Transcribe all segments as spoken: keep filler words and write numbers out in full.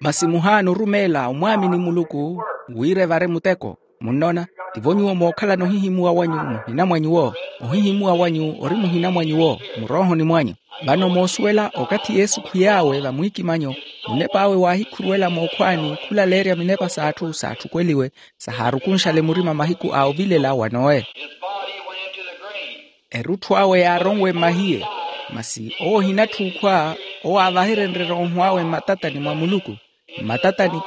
Masi muhaana orumeela omwaamini muluku wira evare muteko. Munnoona? Tivo nyuwo mookhalana ohihimuwa wanyu muhina mwa nyuwo. Ohihimuwa wanyu ori muhina mwa nyuwo muroohoni mwanyu. Vano moosuwela okathi yesu khwiy'awe vamwiikimanyo, munep'awe waahikhuruwela mookhwaani khulaleerya minepa s'atthu saatthukweliwe, sahaarukunxale murima mahiku a ovilela wa nowe. Erutthu awe yaaronwe mmahiye. Masi owo ohinatthuukhwa, owo aavaherenrye erooho awe mmatatani mwa muluku. Mmatatani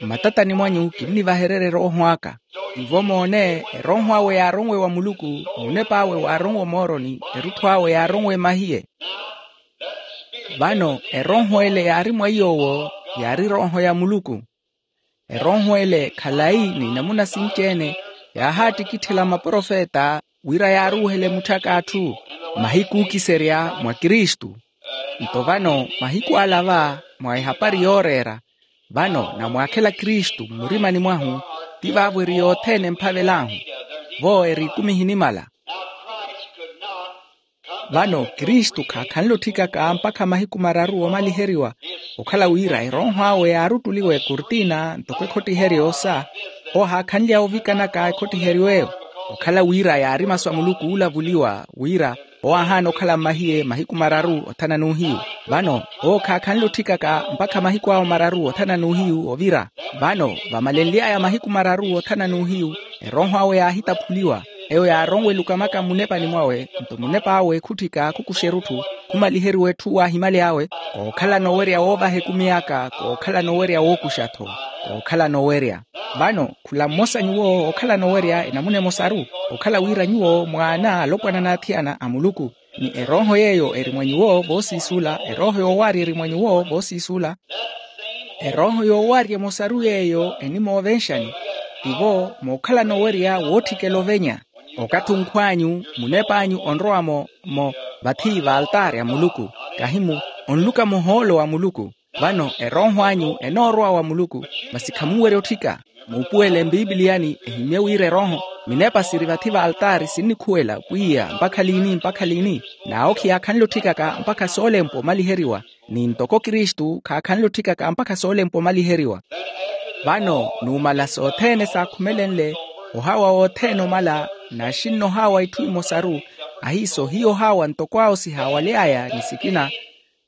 mmatatani mwanyu kinnivahererya erooho aka. Tivo moone, erooho awe yaaronwe wa muluku, munep'awe waaronwe omooroni, erutthu awe yaaronwe mmahiye. Vano erooho ele yaari mwa iy'owo, yaari erooho ya muluku. Erooho ele khalayi ni namuna sinci-ene, yaahaattikitthela maprofeta wira yaaruuhele mutthaka atthu mahiku ookiserya mwa kristu. Nto vano mahiku ala va, mwa ehapari yooreera, vano namwaakhela kristu mmurimani mwahu. Ti vaavo eri yothene emphavel'ahu, vo eri ekumi ehinimala. Vano kristu khaakhanle otthikaka mpakha mahiku mararu oomaliheriwa. Okhala wira erooho awe yaaruttuliwa ekurtina ntoko ekhottiheryo sa, owo ahaakhanly'awe ovikanaka ekhottiheryo eyo. Okhala wira yaari masu a muluku oolavuliwa wira owo aahaana okhala mmahiye mahiku mararu othana n'uhiyu. Vano owo khaakhanle otthikaka mpakha mahiku awo mararu othana n'uhiyu ovira. Vano vamalenly'aya mahiku mararu othana n'uhiyu, erooho awe yaahitaphuliwa, eyo yaaronweluka maka mmunepani mwawe. Nto munep'awe khutthika khukuxa erutthu, khumaliheriwa etthu waahimaly'awe. Kookhalana owerya woovaha ekumi aka, kookhalana owerya wookuxa-tho, kookhalana owerya. Vano khula mmosa nyuwo ookhalana owerya enamuna emosaru, okhala wira nyuwo mwaana alopwana n'athiyana a muluku, ni erooho yeeyo eri mwa nyuwo voosiisuula erooho yoowaarya eri mwa nyuwo voosiisuula. Erooho yoowaarya emosaru yeeyo enimoovenxani, tivo mookhalana owerya wootthikela ovenya. Okathi onkhw'anyu munep'anyu onrowa-mo mo vathi v'altaari a muluku, kahimu onluka muhoolo wa muluku. Vano erooho anyu enoorowa wa muluku, masi khamunwerya otthika. Muupuwele mpipiliyani ehimye wira erooho, minepa siri vathi v'altaari sinnikhuwela pwiya mpakha liini mpakha liini. N'awo khiyaakhanle otthikaka mpakha soolempwa omaliheriwa, ni ntoko kristu khaakhanle otthikaka mpakha soolempwa omaliheriwa. Vano numala sothene saakhumelenle, ohawa wothene omala, naxinna ohawa itthu imosaru, ahiiso hiyo ohawa ntoko awo sihaawaly'aya ni sikina.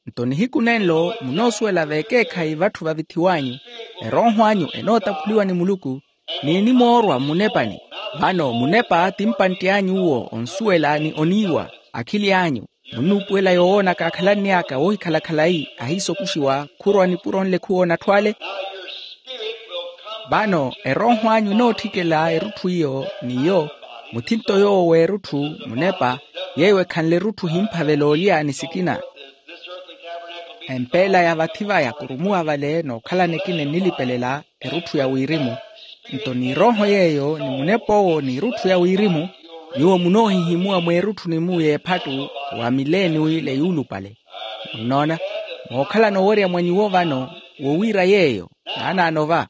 Nto nihiku nenlo munoosuwela veekeekhayi vatthu vavithiw'anyu, erooho anyu enootaphuliwa ni muluku, ni enimoorwa mmunepani. Vano munepa ti mpantti anyu uwo onsuwela ni oniiwa, akhili anyu. Munnuupuwela yowoonaka akhalanny'aka woohikhala khalayi ahiiso okuxiwa khurwa nipuro nlekhu woonatthu ale. Vano erooho anyu enootthikela erutthu iyo, n'iyo muthinto yoowo w'erutthu, munepa, yeeyo ekhanle erutthu ehimphavela olya ni sikina. Empeela ya vathi vaya kurumuwa vale nookhalana ekina ennilipelela erutthu ya wirimu. Nto ni erooho yeeyo ni munep'owo ni erutthu ya wirimu, nyuwo munoohihimuwa mweerutthu nimu y'ephattu wa mileniwi le yuulupale. Munnoona, mookhalana owerya mwa nyuwo vano wowiira yeeyo naanaano va.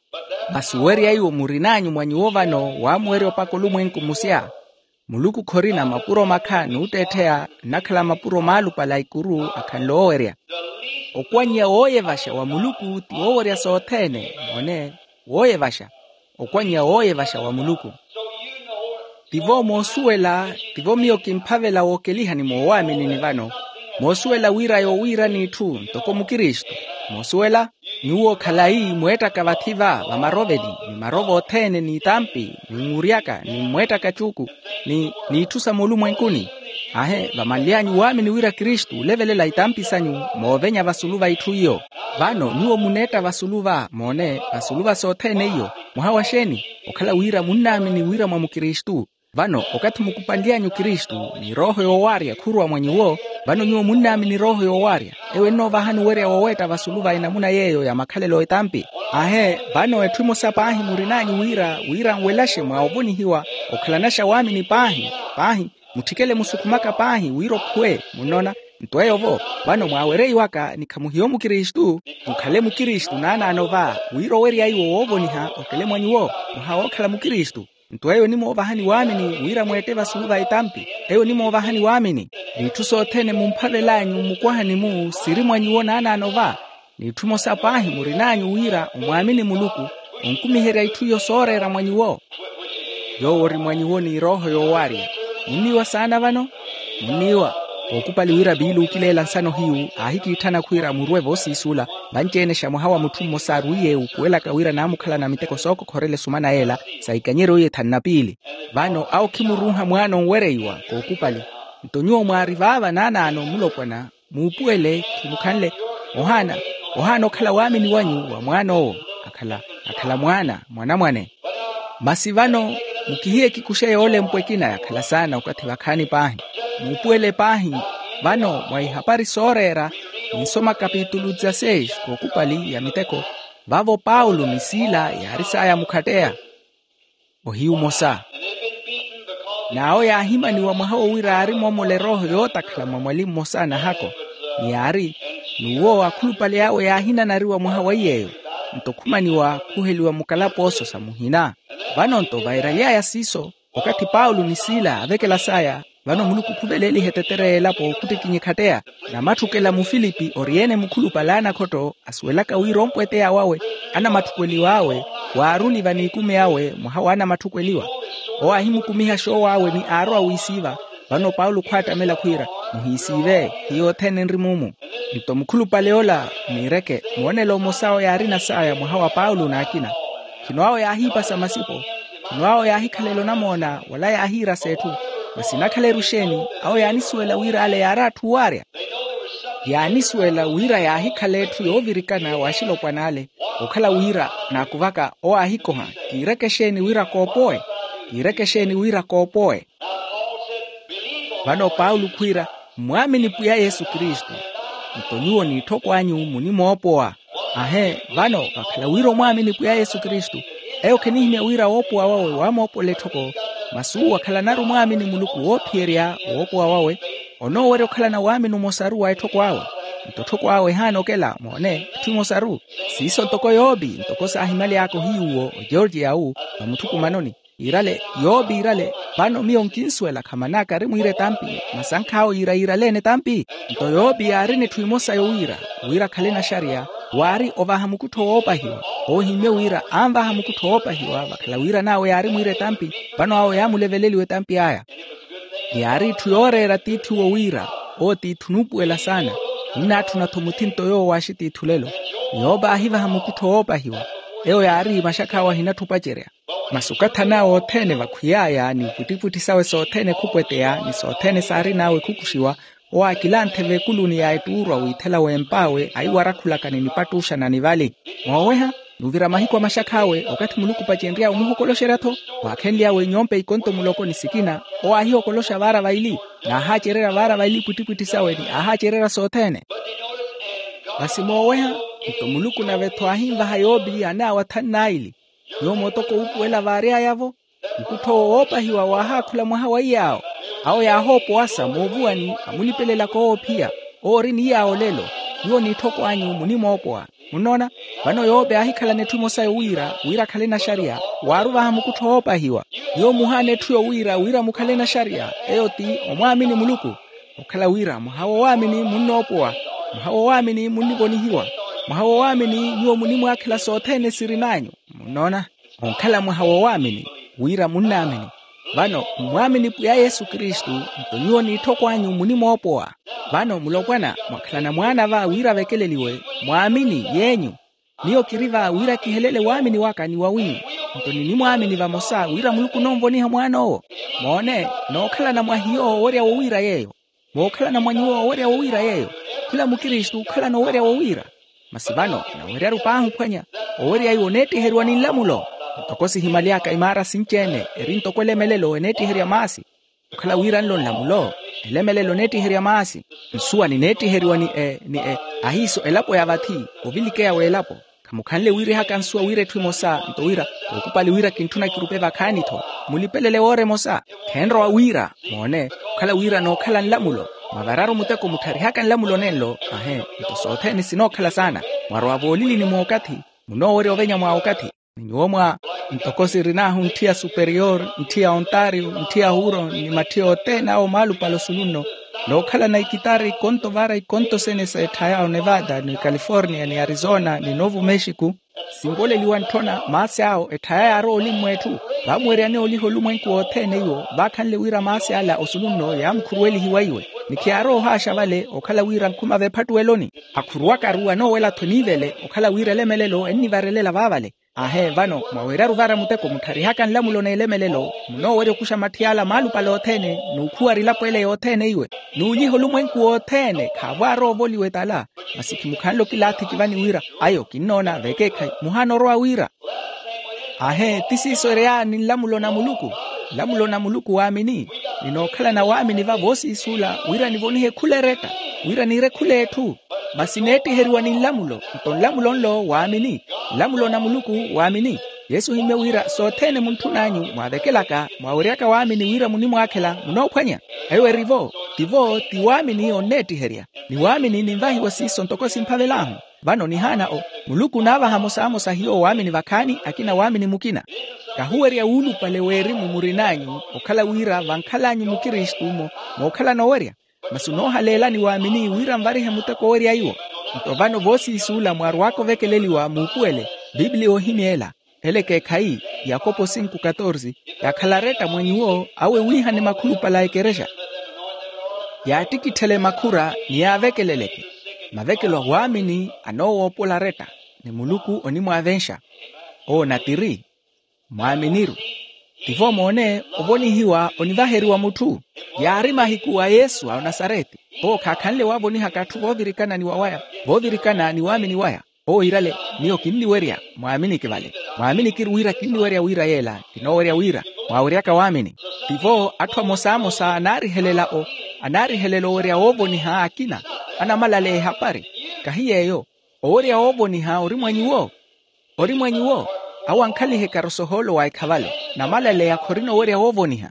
Masi owerya iwo murin'anyu mwa nyuwo vano waamuwerya opaka olumwenku musya. Muluku khorina mapuro makha n'utteettheya, nnakhala mapuro maalupale a ikuru akhanle oowerya. Okwannya wooyevaxa wa muluku ti woowerya sothene. Mone, wooyevaxa. Okwannya wooyevaxa wa muluku. Tivo moosuwela, tivo miyo kimphavela wookelihani moowaaminini vano, moosuwela wira yoowiirani itthu ntoko mukristu. Moosuwela, nyuwo khalayi mweettaka vathi va vamaroveli, ni marovo othene n'itampi, ni nwuuryaka ni mmweettaka cuuku, ni n'itthu sa moolumwenkuni. Aahe vamanly'anyu waamini wira kristu olevelela itampi sanyu, moovenya vasulu va itthu iyo. Vano nyuwo muneetta vasulu va, mone, vasulu va sothene iyo. Mwaha wa xeeni? Okhala wira munnaamini wira mwa mukristu. Vano okathi mukupanly'anyu kristu, ni erooho yoowaarya khurwa mwa nyuwo, vano nyuwo munnaamini erooho yoowaarya, eyo ennoovahani owerya woweetta vasulu va enamuna yeeyo ya makhalelo etampi. Aahe, vano etthu emosa paahi murin'anyu wira wira nwelaxe mwa ovonihiwa, okhalanaxa waamini paahi. Paahi, mutthikele musukhumaka paahi wira okhuwe. Munnoona? Nto eyo vo, vano mwaawereiwaka ni khamuhiyo mukristu, mukhale mukristu naanaano va, wira owerya iwo woovoniha okele mwa nyuwo, mwaha wookhala mukristu. Nto eyo enimoovahani waamini wira mweette vasulu va etampi. Eyo enimoovahani waamini, n'itthu sothene mumphavel'anyu mmukwahani-mu siri mwa nyuwo naanaano va. N'itthu emosa paahi murin'anyu wira omwaamini muluku, onkumiherya itthu iyo sooreera mwa nyuwo. Yoowo ori mwa nyuwo ni erooho yoowaarya. Munniiwa saana vano? Munniiwa. Ookupali wira piili ookileela nsano hiyu aahikiitthana khwiira murwe voosiisuula, vanci-ene xa mwaha wa mutthu mmosa arwiiye wuupuwelaka wira naamukhalana miteko sookokhorela esumana yeela, sa ikanyeryo iye thanu na piili. Vano awo khimuruuha mwaana onwereiwa kookupali. Nto nyuwo mwaari vaava naanaano mulopwana, muupuwele, khimukhanle. Ohaana, ohaana okhala waamini wanyu wa mwaan'owo. Akhala, akhala mwaana mwanamwane. Masi vano, mukihiye kikuxe yoolempwa ekina yakhala saana okathi vakhaani paahi. Muupuwele paahi. Vano mwa ihapari sooreera, ninsoma kapitulu dezasseis kookupali ya miteko. Vavo paulo ni sila yaari saaya mukhatteya. Ohiyu omosa. N'awo yaahimaniwa mwaha wo wira aari moomola erooho yootakhala mwa mwali mmosa a nahako. Ni yaari, n'uwo akhulupale awe yaahinanariwa mwaha wa iy'eyo. Nto khumaniwa khuheliwa mukalapooso sa muhina. Vano nto vairaly'aya siiso, okathi paulo ni sila aavekelas'aya, vano muluku khuveleeliha etetere y'elapo khuttikinyikhatteya. Namatthukwela mufilipi ori-ene mukhulupale a nakhotto asuwelaka wira ompweteya wawe, anamatthukeliw'awe, waaruni vaniikumi awe mwaha w'anamatthukeliwa. Owo aahimukumiha xoow'awe ni aarowa wiisiiva. Vano paulo khwaattamela khwiira, muhiisiive, hiyo othene nri muumu. Nto mukhulupale ola miireke moonelo omosa awo yaarina saaya mwaha wa paulo n'akina. Khino awo yaahiipasa masipo, khino awo yaahikhalela onamoona wala yaahiirasa etthu. Masi nakhala eru exeeni? Awo yaanisuwela wira ale yaari atthu owaarya. Yaanisuwela wira yaahikhala etthu yoovirikana w'axilopwana ale. Okhala wira naakuvaka owo aahikoha, kiireke exeeni wira koopowe? Kiireke exeeni wira koopowe? Vano paulo khwiira, mmwaamini pwiya yesu kristu, nto nyuwo n'itthokw'anyu munimoopowa. Ahe, vano vakhala wira omwaamini pwiya yesu kristu, eyo khenihimya wira woopowa wawe waamoopola etthoko. Masi uwo akhalanaru omwaamini muluku woophiyerya woopowa wawe, onoowerya okhalana waamini omosaru wa etthoko awe. Nto etthoko awe ehaana okela moone etthu emosaru. Siiso ntoko yoopi ntoko saahimaly'aka ohiyuwo ogeorgiya wu, va mutthukumanoni. Yiirale, yoopi yiirale, vano miyo nkinsuwela khaman'aka ari mwiira etampi, masi ankhawo yiira yiirale-ene etampi. Nto yoopi yaarina etthu emosa yowiira, wira akhale naxariya, waari ovaha mukuttho woopahiwa. Owo ohimmye wira anvaha mukuttho woopahiwa vakhala wiiran'awe yaari mwiira etampi. Vano awo yaamuleveleliwa etampi aya. Yaari etthu yooreera tiithi owo wira, owo tiithi onuupuwela saana. Ninnaatthuna-tho muthinto yoowo waaxi tiithi olelo. Yoopa aahivaha mukuttho woopahiwa. Eyo yaari maxakha awe ahinatthu opacerya. Masi okathi an'awe othene vakhwiy'aya ni upwittipwitthi sawe sothene khupweteya ni sothene saarin'awe khukuxiwa, owo aakilanthe veekuluni ya ettuurwa wiithela w'emp'awe aiwarakhulaka ni nipattuuxa na nivali. Mooweha, n'uvira mahiku a maxakha awe okathi muluku opacenry'awe omuhokoloxerya-tho, waakhenly'awe inyompe ikonto muloko ni sikina. Owo aahihokoloxa vaara vaili, n'ahaacererya vaara vaili ipwittipwitthi sawe ni ahaacererya sothene. Masi mooweha, nto muluku nave-tho aahinvaha yoopi an'awe athanu n'aili. Nyuwo mootoko wuupuwela vaary'aya-vo, mukuttho owo woopahiwa waahaakhula mwaha wa iy'awo. Awo yaahoopowasa moovuwani amulipelelaka owo ophiya, owo ori ni iy'awo olelo. Nyuwo n'itthokw'anyu munimoopowa. Munnoona? Vano yoope aahikhalana etthu emosa yowiira wira akhale naxariya, waaruvaha mukuttho woopahiwa. Nyuwo muhaana etthu yowiira wira mukhale naxariya, eyo ti omwaamini muluku. Okhala wira mwaha woowaamini munnoopowa, mwaha woowaamini munnivonihiwa, mwaha woowaamini nyuwo munimwaakhela sothene sirin'anyu. Munnoona? Onkhala mwaha woowaamini, wira munnaamini. Vano mmwaamini pwiya yesu kristu, nto nyuwo n'itthokw'anyu munimoopowa. Vano mulopwana mwakhalana mwaana va wira avekeleliwe, mwaamini yeenyu. Miyo kiri va wira kihelele waamini waka ni wawinyu. Nto ninimwaamini vamosa wira muluku ononvoniha mwaan'owo. Moone, nookhalana mwa hiyo owerya wowiira yeeyo. Mookhalana mwa nyuwo owerya wowiira yeeyo. Khula mukristu okhalana owerya wowiira. Masi vano naweryaru paahi ophwanya, owerya iwo oneettiheriwa ni nlamulo. Ntoko sihimaly'aka imaara sinci-ene eri ntoko elemelelo eneettiherya maasi. Okhala wira nlo nlamulo, elemelelo eneettiherya maasi. Nsuwa nineettiheriwa ni e ni e ahiiso elapo ya vathi, ovilikeya w'elapo. Khamukhanle wiirihaka nsuwa wira etthu emosa nto wira, ookupali wira kintthuna kirupe vakhaani-tho. Mulipelele woora emosa. Khenrowa wira, moone, okhala wira nookhala nlamulo. Mwavararu muteko muttharihaka nlamulo nenlo ahe. Nto sothene sinookhala saana. Mwarowa voolilini mookathi, munoowerya ovenya mwa okathi. Ni nyuwo mwa ntoko sirin'ahu ntthiya superior, ntthiya ontario, ntthiya huron ni matthiya othene awo maalupale osununno. Nookhalana ikitari ikonto vara ikonto sene sa etthaya onevada ni california ni arizona ni novo mexico. Sinvoleliwa ntthona maasi awo etthaya yaarowa olimu etthu. Vaamuweryane oliha olumwenku wothene iwo vaakhanle wira maasi ala osulu nno yaamukhuruwelihiwa iwe. Ni khiyaarowa ohaaxa vale okhala wira nkhuma veephattuweloni. Akhuruwakaru anoowela-tho eniivele okhala wira elemelelo ennivarelela vaavale. Aahe vano mwaweryaru vara muteko muttharihaka nlamulo n'elemelelo. Munoowerya okuxa matthi ala maalupale othene n'ukhuwara elapo ele yothene iwe n'ulyiha olumwenku wothene khaavo aarowa ovoliwa etala. Masi khimukhanle okilaathi kivani wira ayo kinnoona vekeekhayi muhaana orowa wira. Aahe ti siiso ereyaani nlamulo na muluku. Nlamulo na muluku waamini. Ninookhalana waamini va voosiisuula wira nivonihe khula eretta wira niire khula etthu. Masi neettiheriwa ni nlamulo nto nlamulo nlo waamini. Nlamulo na muluku waamini. Yesu ohimmye wira sothene muntthun'anyu mwaavekelaka mwaaweryaka waamini wira munimwaakhela munoophwanya. Eyo eri-vo. Tivo ti waamini onneettiherya. Ni waamini ninvahiwa siiso ntoko simphavel'ahu. Vano nihaana o muluku onaavaha amosamosa hiyo waamini vakhaani akina waamini mukina. Kahuwerya wuulupale w'erimu murin'anyu okhala wira vankhal'anyu mukristu-mo mookhala noowerya. Masi onoohaleelani waamini wira nvarihe muteko owerya iwo. Nto vano voosiisuula mwaarwaka ovekeleliwa muupuwele. Piipiliya ohimya ela. Ela ekeekhayi yakopo sinku katorsi. Yaakhala aretta mwa nyuwo awe wiihane makhulupale a ekerexa. Yaattikitthele makhura ni yaavekeleleke. Mavekelo a waamini anoowoopola aretta. Ni muluku onimwaavenxa. Owo natiri. Mwaaminiru. Tivo moone ovonihiwa onivaheriwa mutthu. Yaari mahiku a yesu a onasareti. Owo khaakhanle waaavonihaka atthu voovirikana ni wawaya voovirikana ni waamini waya. Owo iirale miyo kinniwerya. Mwaaminiki vale. Mwaaminiki wira kinniwerya wira yeela. Kinoowerya wira mwaaweryaka waamini. Tivo atthu amosamosa anaarihelela o anaarihelela owerya woovoniha akina. Anamalaleya ehapari. Kahi yeeyo. Owerya woovoniha ori mwa nyuwo. Ori mwa nyuwo. Awo ankhalihe karosohoolo wa ekhavalo. Namalaleya khorina owerya woovoniha.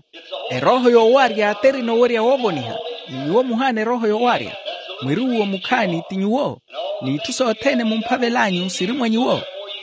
Erooho yoowarya terina owerya woovoniha. Ni nyuwo muhaana erooho yoowarya. Mwiruwuwo mukhaani ti nyuwo. N'itthu sothene mumphavel'anyu siri mwa nyuwo.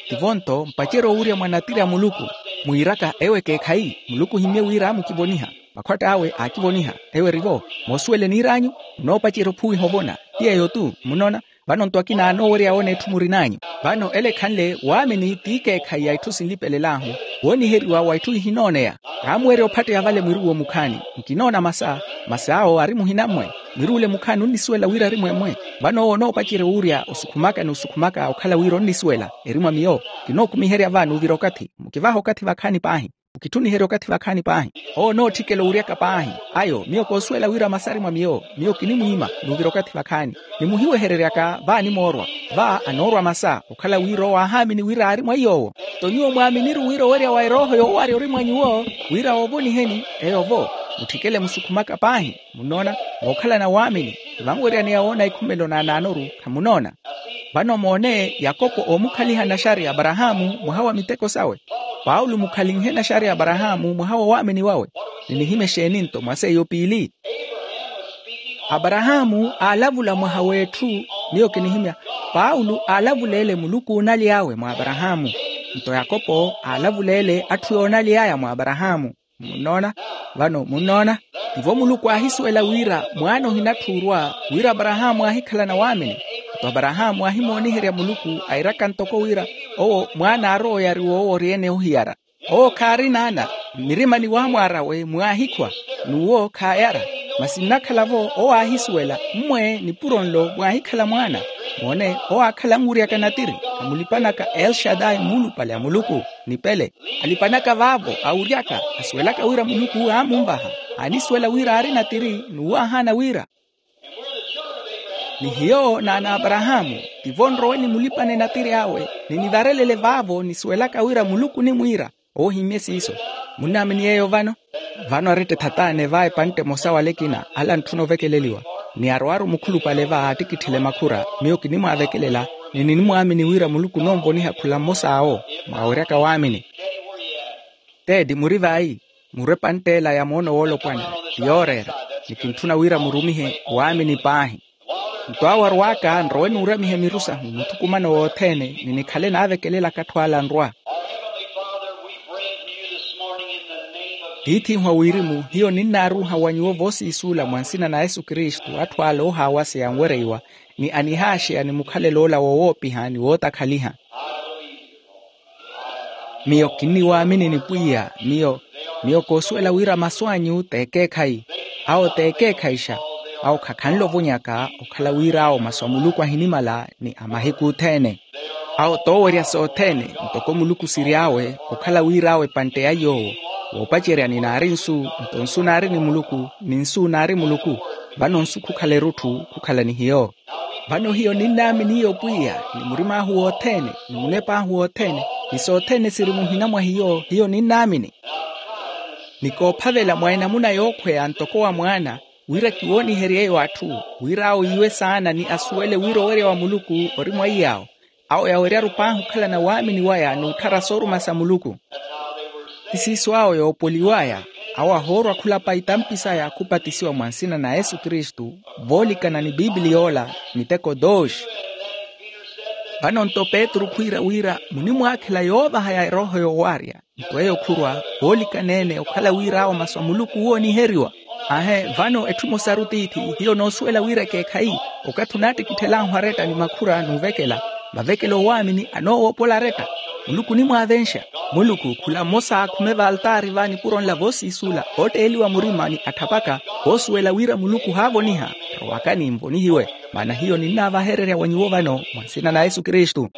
Tivo-nto mpacerya owurya mwa natiri a muluku. Mwiiraka ewo ekeekhayi muluku ohimmye wira aamukivoniha. Makhwatt'awe aakivoniha. Ewo eri-vo. Moosuwela eniir'anyu. Munoopacerya ophuwiha ovona. Ti yeeyo-tu munona. Vano-nto akina anoowerya woona etthu murin'anyu. Vano ela ekhanle waamini ti ekeekhayi ya itthu sinlipelel'ahu. Wooniheriwa wa itthu ihinooneya. Kaamuwerya ophatteya vale mwiruwuwo mukhaani. Nkinoona masa. Masi awo ari muhina-mwe. Mwiruwule mukhaani onnisuwela wira ari mwemwe. Vano owo onoopacerya owurya osukhumaka ni osukhumaka okhala wira onnisuwela. Eri mwa miyo. Kinookumiherya va n'uvira okathi mukivaha okathi vakhaani paahi. Okitthuniherya okathi vakhaani paahi. Owo onootthikela owuryaka paahi. Ayo miyo koosuwela wira masa ari mwa miyo. Miyo kinimwiima n'uvira okathi vakhaani. Nimuhiwehereryaka vaanimoorwa. Va anoorwa masa okhala wira owo aahaamini wira aari mwa iy'owo. Nto nyuwo mwaaminiru wira owerya wa erooho yoowarya ori mwa nyuwo. Wira woovoniheni. Eyo-vo. Mutthikele musukhumaka paahi. Munnoona. Mookhalana waamini. Vanweryaneya woona ikhumelo naanaanoru. Khamunnoona. Vano moone yakopo oomukhaliha naxari aparahaamu mwaha wa miteko sawe. Paulo mukhalinhe naxari aparahaamu mwaha wa waamini wawe. Ni nihimya exeeni-nto mwa seiyo piili. Aparahaamu aalavula mwaha w'etthu. Miyo kinihimya. Paulo aalavuleele muluku oonaly'awe mwa aparahaamu. Nto yakopo aalavuleele atthu yoonaly'aya mwa aparahaamu. Munnoona. Vano munnoona. Tivo muluku aahisuwela wira mwaana ohinatthuurwa. Wira aparahaamu aahikhalana waamini. Nto aparahaamu aahimooniherya muluku airaka ntoko wira owo mwaana aarowa oyariwa owo ori-ene ohiyara. Owo khaarina ana. Mmirimani waamwaar'awe mwaahikhwa. N'uwo khaayara. Masi nnakhala-vo owo aahisuwela mmwe nipuro nlo mwaahikhala mwaana. Moone owo aakhala anwuryaka natiri. Amulipanaka elshadai muulupale a muluku. Nipele. Alipanaka vaavo awuryaka asuwelaka wira muluku aamunvaha. Aanisuwela wira aari natiri n'uwo aahaana wira. Ni hiyo n'ana a aparahaamu. Tivo nrowe nimulipane natiri awe. Ninivarelele vaavo nisuwelaka wira muluku onimwiira. Owo ohimmye siiso. Munnaamini yeeyo vano? Vano aretta ethatane va epantte emosa wala ekina ala antthuna ovekeleliwa. Ni arowaaru mukhulupale va aattikitthele makhura. Miyo kinimwaavekelela. Ni ninimwaamini wira muluku onoonvoniha khula mmos'awo. Mwaaweryaka waamini. Teeti muri vayi? Murwe epantt'ela ya moono woolopwana. Ti yooreera. Ni kintthuna wira murumihe waamini paahi. Nto awo arw'aka nrowe nuuramiha miru sahu muthukumano wothene ni nikhale naavekelelaka atthu ala anrwa. Tiith'ihu a wirimu, hiyo ninnaaruuha wa nyuwo voosiisuula mwa nsina na yesu kristu atthu ale oohaawaseya anwereiwa, ni anihaaxeya ni mukhalelo ola wowoopiha ni wootakhaliha. Miyo kinniwaamini ni pwiya. Miyo miyo koosuwela wira masu anyu t'ekeekhayi. Awo t'ekeekhayixa. Awo khakhanle ovonyaka okhala wir'awo masu a muluku ahinimala ni a mahiku othene. Awo t'owerya sothene, ntoko muluku siry'awe okhala wir'awe epantte ya yoowo, woopacerya ni naari nsu, nto nsu naari ni muluku, ni nsu naari muluku. Vano nsu khukhala erutthu khukhala ni hiyo. Vano hiyo ninnaamini iyo pwiya, ni murim'ahu wothene, ni munep'ahu wothene, ni sothene siri muhina mwa hiyo hiyo ninnaamini. Ni koophavela mwa enamuna yookhweya ntoko wa mwaana, wira kiwoonihery'eyo atthu, wir'awo iiwe saana ni asuwele wira owerya wa muluku ori mwa iy'awo. Awo yaweryaru paahi okhalana waamini waya n'utthara sooruma sa muluku. Ti siiso awo yoopoliw'aya. Awo ahoorwa khulapa itampi saya khupatisiwa mwa nsina na yesu kristu, voolikana ni bibiliya ola, miteko dooxi. Vano nto petru khwiira wira munimwaakhela yoovaha ya erooho yoowarya. Nto eyo khurwa, voolikana-ene okhala wir'awo masu a muluku wooniheriwa. Aahe, vano etthu emosaru tiithi hiyo noosuwela wira ekeekhayi, okathi onaattikitthelahu aretta ni makhura n'uvekela, vavekela owaamini anoowoopola aretta. Muluku onimwaavenxa. Muluku khula mmosa aakhume valtaari va nipuro nla voosiisuula ootteeliwa murima ni atthapaka, voosuwela wira muluku ohaavoniha. Rowakani nvonihiwe, maana hiyo ninnaavahererya wa nyuwo vano mwa nsina na yesu kristu.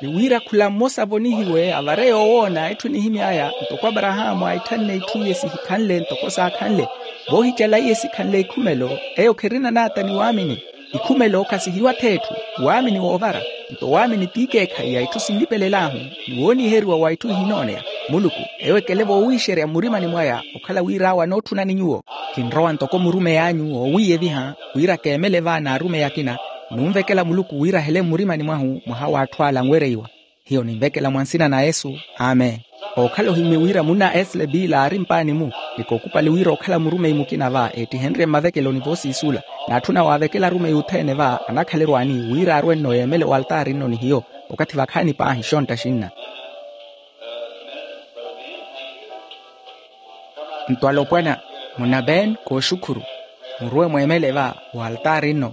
Ni wira khula mmosa avonihiwe avare yoowoona etthu enihimy'aya ntoko aparahaamu aaitthanne itthu iye sihikhanle ntoko saakhanle, voohicala iye sikhanle ikhumelo. Eyo kherina naata ni waamini. Ikhumelo khasihiwa-tho etthu, waamini woovara. Nto waamini t'ikeekhayi ya itthu sinlipelel'ahu, ni wooniheriwa wa itthu ihinooneya. Muluku eyo ekele voowiixerya mmurimani mwaya okhala wir'awe anootthunani nyuwo. Kinrowa ntoko murumeyi anyu oowiiyeviha, wira keemele va n'arumeyi akina, n'unvekela muluku wira ahele mmurimani mwahu mwaha w'atthu ala anwereiwa. Hiyo ninvekela mwa nsina na yesu. Amen. Ookhala ohimye wira munna esle biila aari mpaani-mu, ni kookupali wira okhala murumeyi mukina va eettihenrye mmavekeloni voosiisuula, n'atthu nawaavekela arumeyi othene va anakhalerwani wira arwe nno yeemele waltaari nno ni hiyo. Okathi vakhaani paahi xontta xinna. Nto alopwana, munna ben kooxukhuru, muruwe mweemele va waltaari nno,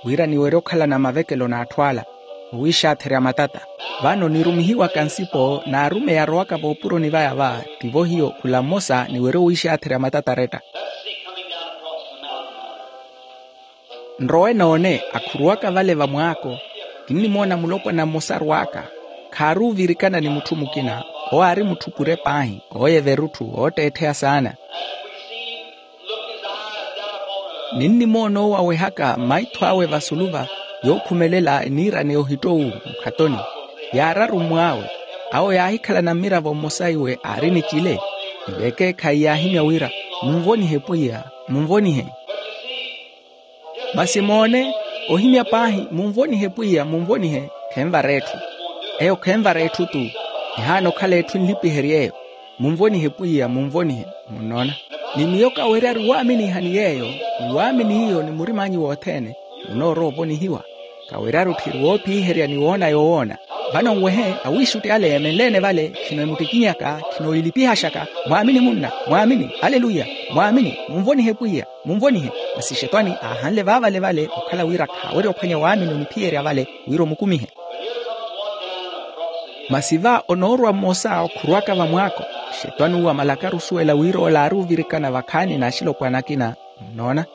wira niwerye okhalana mavekelo n'atthu ala owiixaatherya matata. Vano nirumihiwaka nsipo n'arumeyi arowaka voopuroni vaya va, tivo hiyo khula mmosa niwerye owiixaatherya matata aretta. Nrowe noone akhuruwaka vale vamwaako. Kinnimoona mulopwana mmosa arwaaka, khaaruuvirikana ni mutthu mukina. Owo aari mutthu pure paahi, ooyeva erutthu ootteettheya saana. Ninnimoona owo awehaka maitho awe vasulu va yookhumelela eniirane ohittowu mukhatoni. Yaararu mmwaawe. Awo yaahikhalana mmiravo mmosa iwe aari ni cile. Ni vekeekhayi yaahimya wira, munvonihe pwiya, munvonihe. Masi moone, ohimya paahi munvonihe pwiya munvonihe, khenvara etthu. Eyo khenvara etthu-tu. Ehaana okhala etthu enlipihery'eyo. Munvonihe pwiya munvonihe. Munnoona? Ni miyo kaweryaru waaminiha ni yeeyo, ni waamini iyo ni murim'anyu wothene, munoorowa ovonihiwa. Kaweryaru tthiri woophiherya ni woona yowoona. Vano nwehe, awiixutti ale eemenle-ene vale khino emuttikinyaka, khino elipihaxaka. Mwaamini munna, mwaamini. Aleluya. Mwaamini. Munvonihe pwiya, munvonihe. Masi xetwani aahanle vaavale vale okhala wira khaawerya ophwanya waamini oniphiyerya vale wira omukumihe. Masi va onoorwa mmosa okhuruwaka vamwaako. Xetwani uwo amalakaru osuwela wira ola aari ovirikana vakhaani n'axilopwana akina. Munnoona?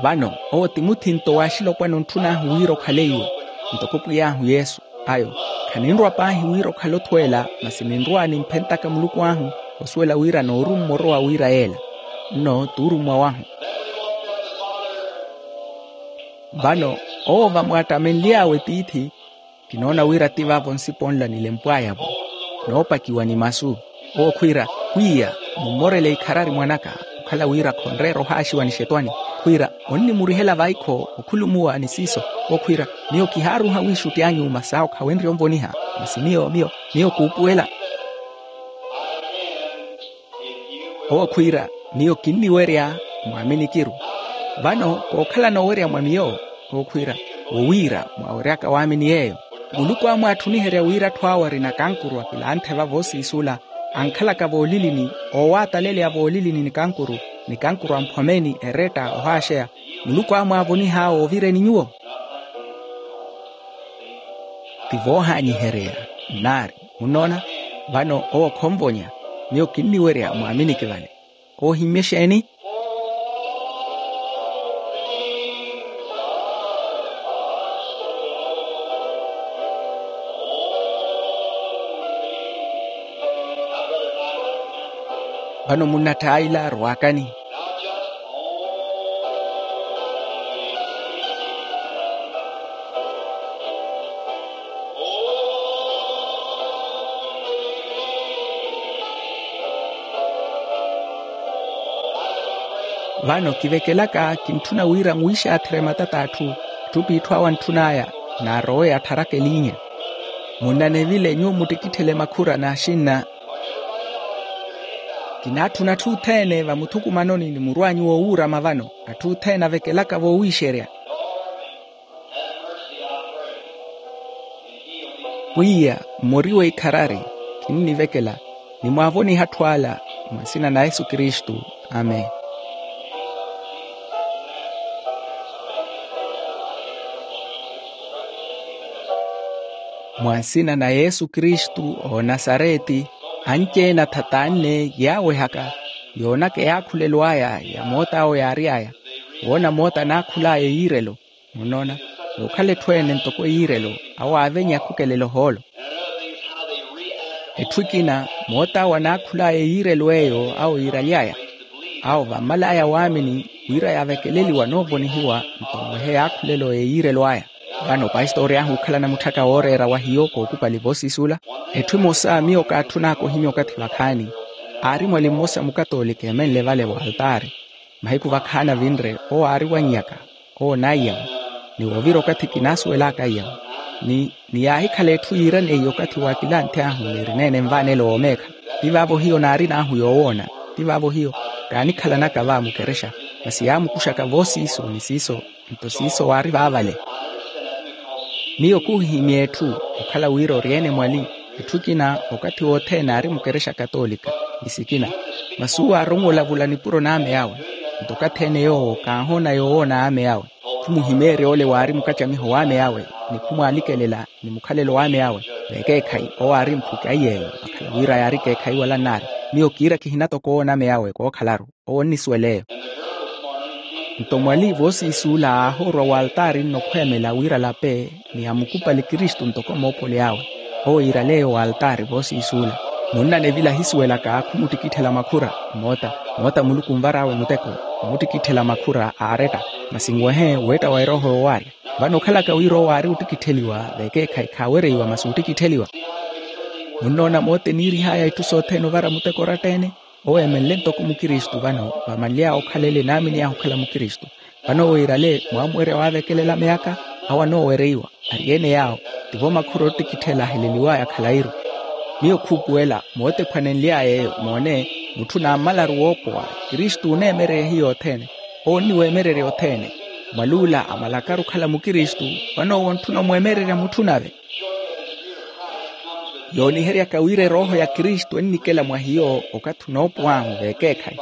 Vano owo ti muthinto w'axilopwana ontthun'ahu wira okhale iwe, ntoko pwiy'ahu yesu. Ayo, khaninrwa paahi wira okhale othweela, masi ninrwa nimphentaka muluku ahu, osuwela wira noorummwa orowa wira yeela. Nno t'urummwa wahu. Vano owo vamwaattamenly'awe tiithi, kinoona wira ti vaavo nsipo nla nilempw'aya-vo, noopakiwa ni masu. Owo khwiira, pwiya, mummorele ikharari mwanaka. Okhala wira khonreera ohaaxiwa ni xetwani, khwiira onnimurihela vaikho okhulumuwa ni siiso. Owo khwiira, miyo kihaaruha wiixutti anyu masi awo khawenrye onvoniha. Masi miyo miyo miyo kuupuwela. Owo khwiira, miyo kinniwerya mwaaminikiru. Vano kookhalana owerya mwa miyo. Owo khwiira, wowiira mwaaweryaka waamini yeeyo. Muluku amwaatthuniherya wira atthu awe arina kankuru akilanthe vavo osiisula, ankhalaka voolilini, oowataleleya voolilini ni kankuru, ni kankuru amphomeni eretta ohaaxeya. Muluku amwaavoniha awe ovireni nyuwo. Ti voohaanyihereya nnaari. Munnoona? Vano owo khonvonya. Miyo kinniwerya mwaaminiki vale. Koohimmye exeeni? Vano munnatthayila arwaakani. Vano kivekelaka kintthuna wira nwixaatherye matata atthu. Atthu piitthu awo antthun'aya, naarowe attharaka eliinya. Munnanevile nyuwo muttikitthele makhura n'axinna. Kinaatthuna atthu othene vamuthukumanoni ni murw'anyu woowuurama vano, atthu othene avekelaka voowixerya. Pwiya, mmoriwe ikharari, khinnivekela, nimwaavoniha atthu ala. Mwa nsina na yesu kristu. Amen. Mwa nsina na yesu kristu, oonasareti, anci-ene athatanne yaawehaka, yoonaka eyaakhulelo aya ya moota awo yaary'aya, woona moota anaakhul'aya eyiirelo. Munnoona, yookhala etthu ene ntoko eyiirelo, awo aavenya akhukelele ohoolo. Etthu ekina, moota awo anaakhul'aya eyiirelo eyo awo yiiraly'aya. Awo vammal'aya waamini, wira yaavekeleliwa anoovonihiwa, nto mwehe yaakhulelo eyiirelo aya. Vano pastori ahu okhalana mutthaka wooreera wa hiyo kookupali voosiisula. Etthu emosa miyo kaatthun'aka ohimya okathi vakhaani. Aari mwali mmosa mukatoolika emenle vale waltaari. Mahiku vakhaani avinre, owo aari wannyaka, owo onaiyamu. Ni woovira okathi kinaasuwel'aka aiyamu. Ni ni yaahikhala etthu yiiraneiye okathi wa kilanthi ahu niirineene nvaanelo woomeekha. Ti vaavo hiyo naarina ahu yoowoona. Ti vaavo hiyo kaanikhalanaka va mukerexa. Masi yaamukuxaka voosiiso ni siiso. Nto siiso waari vaavale. Miyo kuuhihimya etthu, okhala wira ori-ene mwali. Etthu ekina, okathi wothene aari mukerexa katoolika, ni sikina. Masi uwo aaronwa olavula nipuro n'ame awe. Nto okathi-ene yoowo kaahoona yoowoona ame awe. Khumuhimeerya ole waari mukacamiho w'ame awe, ni khumwaalikelela ni mukhalelo w'ame awe. Vekeekhayi owo aari mphuki aiy'eyo vakhala wira yaari ekeekhayi wala nnaari. Miyo kiira kihina toko owoona ame awe kookhalaru. Owo onnisuwela eyo. Nto mwali voosiisuula aahoorwa waltaari nnokhweemela wira alape, ni amukupali kristu ntoko moopoli awe. Owo yiiraleeyo waltaari voosiisuula. Munnanevila ahisuwelaka khumuttikitthela makhura. Moota moota muluku onvar'awe muteko, omuttikitthela makhura aaretta. Masi nwehe weetta wa erooho yoowaarya. Vano okhalaka wira owo aari ottikittheliwa, vekeekhayi khaawereiwa masi ottikittheliwa. Munnoona moota eniirih'aya itthu sothene ovara muteko oratta-ene. Owo eemenle ntoko mukristu vano vamanly'awe okhala ele naamini ahu okhala mukristu. Vano owo yiirale mwaamuwerya waavekelela myaaka, awo anoowereiwa. Ari-ene yaawo, tivo makhura ottikitthela aheleliw'aya khalayi-ru. Miyo khuupuwela mootephwanenly'aya eyo moone, mutthu naammalaru woopowa. Kristu oneemererya hiyo othene. Owo onniweemererya othene. Mwaluula amalakaru okhala mukristu, vano owo ontthuna omweemererya mutthu nave. Yooniheryaka wira erooho ya kristu ennikela mwa hiyo okathi onoopuw'ahu vekeekhayi.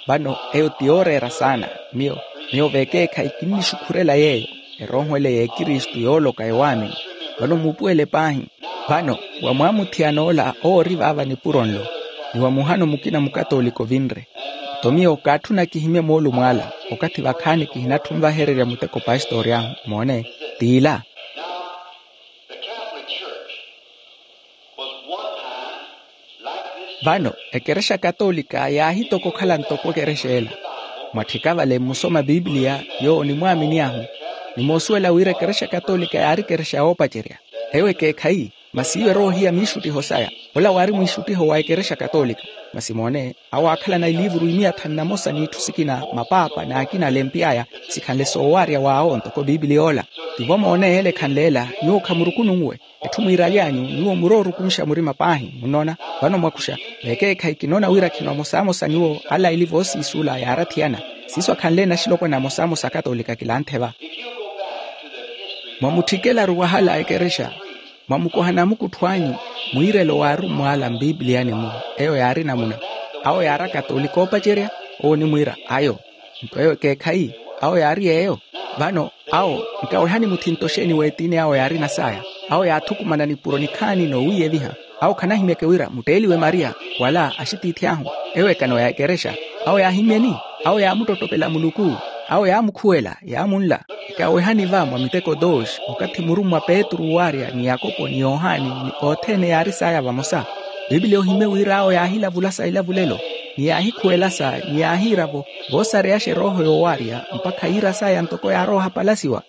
Vano eyo ti yooreera saana. Miyo miyo vekeekhayi kinnixukhurela yeeyo. Erooho ele y'ekristu yooloka ewaamini. Vano muupuwele paahi. Vano wa mwaamuthiyana ola owo ori vaava nipuro nlo, ni wa muhano mukina mukatoolika ovinre. Nto miyo kaatthuna kihimye moolumo ala, okathi vakhaani kihinatthu onvahererya muteko pastori ahu moone. T'ila. Vano ekerexa katoolika yaahitoka okhala ntoko ekerexa ela. Mwatthika vale mmusoma piipiliya, yoowo onimwaamini ahu. Nimoosuwela wira ekerexa katoolika yaari ekerexa yoopacerya. Eyo ekeekhayi. Masi iwo eroohiya miixuttiho saya. Ola waari mwiixuttiho wa ekerexa katoolika. Masi moone, awo aakhalana iliivuru imiya thanu na mosa n'itthu sikina, mapaapa n'akina alempiy'aya, sikhanle soowaarya w'awo ntoko piipiliya ola. Tivo moone yeele ekhanle ela. Nyuwo khamurukununwe. Etthu mwiiraly'anyu nyuwo muroorukunxa murima paahi munnoona. Vano mwakuxa, vekeekhayi kinoona wira khino amosamosa nyuwo ala ili voosiisuula yaarathiyana. Siiso akhanle naxilopwana amosamosa akatoolika kilanthe va. Mwamutthikelaru wahala ekerexa. Mwamukoha namukuttho anyu, mwiirelo waarummw'ala mpiipiliyani-mu. Eyo yaari namuna. Awo yaari akatoolika oopacerya. Owo onimwiira ayo. Nto eyo ekeekhayi. Awo yaari yeeyo. Vano awo nkawehani muthinto xeeni w'etiini awo yaarina saya. Awo yaathukumana nipuro nikhaani noowiiyeviha. Awo khanahimyeke wira mutteeliwe maria, wala axitiithi ahu. Ewo ekano ya ekerexa. Awo yaahimyeni. Awo yaamuttottopela muluku. Awo yaamukhuwela yaamunla. Nkawehani va mwa miteko dos, okathi murummwa petru waarya ni yakopo ni yohani, ni othene yaari saya vamosa. Piipiliya ohimye wira awo yaahilavulasa ilavulelo, ni yaahikhuwelasa ni yaahiira-vo. Voosareyaxa erooho yoowaarya mpakha yiira saya ntoko yaarowa ohapalasiwa.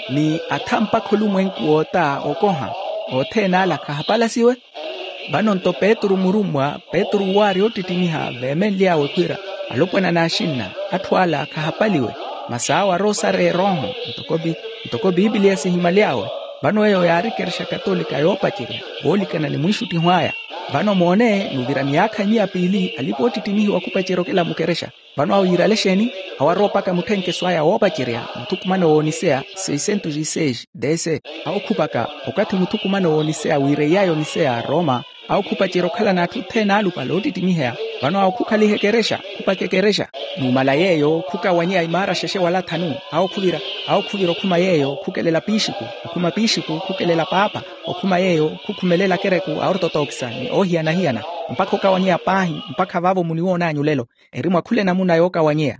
Ni atha mpakha olumwenku woota okoha, othene ala khahapalasiwe. Vano nto petru murummwa, petru waarya oottittimiha veemenly'awe khwiira, alopwana n'axinna, atthu ala khahapaliwe. Masi awo arowa osareya erooho. Ntoko piipiliya sihimaly'awe. Vano eyo yaari ekerexa katolika yoopacerya, voolikana ni mwiixuttiho aya. Vano moone, nuvira miyaakha imiya piili alipa oottittimihiwa khupacerya okela mukerexa. Vano awo yiirale exeeni? Awo arowa opaka mutthenkeso aya woopacerya muthukumano w'oniseya, seiscentos e seis d c. Awo khupaka, okathi muthukumano w'oniseya wiireiy'aya oniseya roma. Awo khupacerya okhala n'atthu othene alupale oottittimiheya. Vano awo khukhaliha ekerexa, khupaka ekerexa. Numala yeeyo khukawanyeya imaara xexe wala thanu. Awo khuvira, awo khuvira okhuma yeeyo khukelela piixiku, okhuma piixiku khukelela paapa, okhuma yeeyo khukhumelela akereku a ortotokisa ni oohiyana-hiyana, mpakha okawanyeya paahi, mpakha vaavo muniwoon'anyu lelo. Eri mwa khula enamuna yookawanyeya.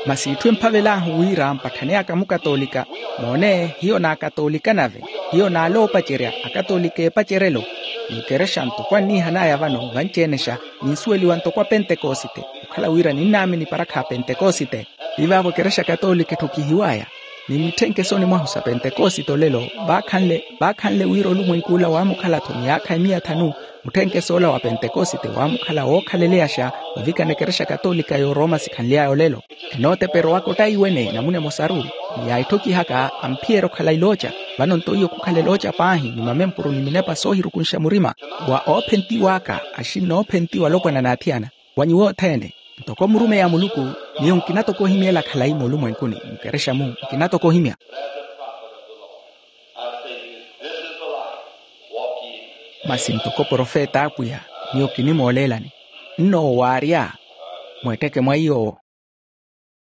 Masi itthu emphavel'ahu wira mpatthane aka mukatolika. Moone, hiyo n'akatolika nave, hiyo n'aloopacerya akatolika eepacerelo. N'ikerexa ntoko anniihan'aya vano vanci-enexa, ninsuweliwa ntoko apentekosite, okhala wira ninnaamini parakha apentekosite. Ti vaavo ekerexa katolika etthokihiw'aya. Ni mitthenkeso ni mwahu sa pentekosite olelo, vaakhanle, vaakhanle wira olumwenk'ula waamukhala-tho miyaakha emiya thanu. Mutthenkeso ola wa pentekosite waamukhala wookhaleleyaxa ovikana ekerexa katolika y'oroma sikhanly'aya olelo. Enooteperowaka ottaiwene namuna emosaru, ni yaitthokiha-ka amphiyerya okhala ilooca. Vano nto iyo khukhala elooca paahi ni mamempuru ni minepa soohirukunxa murima. Wa oophentiw'aka axinna oophentiwa alopwana n'athiyana, wa nyuwo othene. Ntoko murumeyi a muluku, miyo nkina toko ohimyela khalayi moolumwenkuni. Mukerexa-mu nkina toko ohimya. Masi ntoko profeta a apwiya, miyo kinimooleelani, nno owaarya, mweetteke mwa iyo.